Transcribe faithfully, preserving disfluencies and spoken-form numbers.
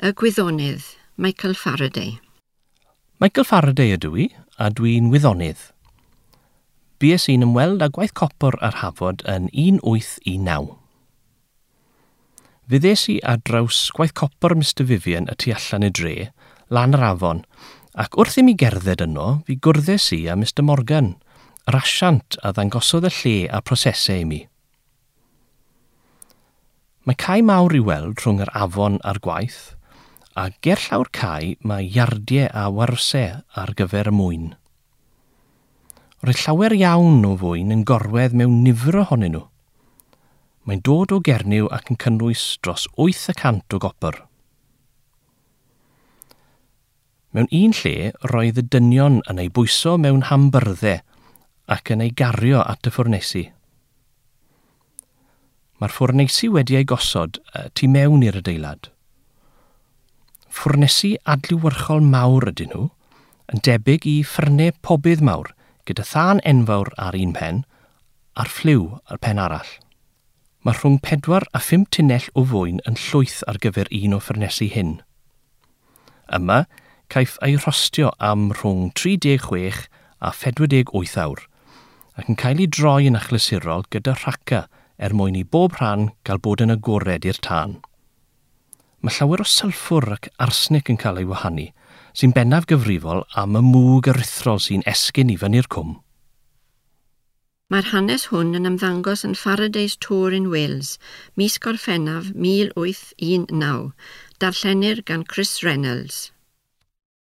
Y gwyddonydd, Michael Faraday. Michael Faraday ydw i, a dwi'n wyddonydd. Bues i'n ymweld â gwaith copr ar Hafod yn un wyth un naw. Fe ddes i ar draws gwaith copr Mister Vivian y tu allan y dre, lan yr afon, ac wrth i mi gerdded yno, fi gwrddes i â Mister Morgan, yr asiant a ddangosodd y lle a prosesau i mi. Mae cae mawr i weld rhwng yr afon a'r gwaith, a gerllaw'r cae mae iardiau a warwsau ar gyfer y mwyn. Roedd llawer iawn o fwyn yn gorwedd mewn nifer ohonyn nhw. Mae'n dod o Gernyw ac yn cynnwys dros wyth y cant o gopr. Mewn un lle, roedd y dynion yn ei bwyso mewn hambyrddau ac yn ei gario at y ffwrneisi. Mae'r ffwrneisi wedi ei gosod tu mewn i'r adeilad. Ffwrnesi adlewyrchol mawr ydyn nhw, yn debyg i ffyrnau pobydd mawr, gyda thân enfawr ar un pen a'r ffliw ar pen arall. Mae rhwng pedwar a phum tunnell o fwyn yn llwyth ar gyfer un o ffwrnesi hyn. Yma, caiff ei rhostio am rhwng tri deg chwech a phedwar deg wyth awr, ac yn cael ei droi yn achlysurol gyda rhaca er mwyn i bob rhan gael bod yn agored i'r tân. Mae llawer o sylffwr ac arsenic yn cael ei wahanu, sy'n bennaf gyfrifol am y mwg aruthrol sy'n esgyn i fyny'r cwm. Mae'r hanes hwn yn ymddangos yn Faraday's Tour in Wales, mis Gorffennaf mil wyth un naw. Darllenir gan Chris Reynolds.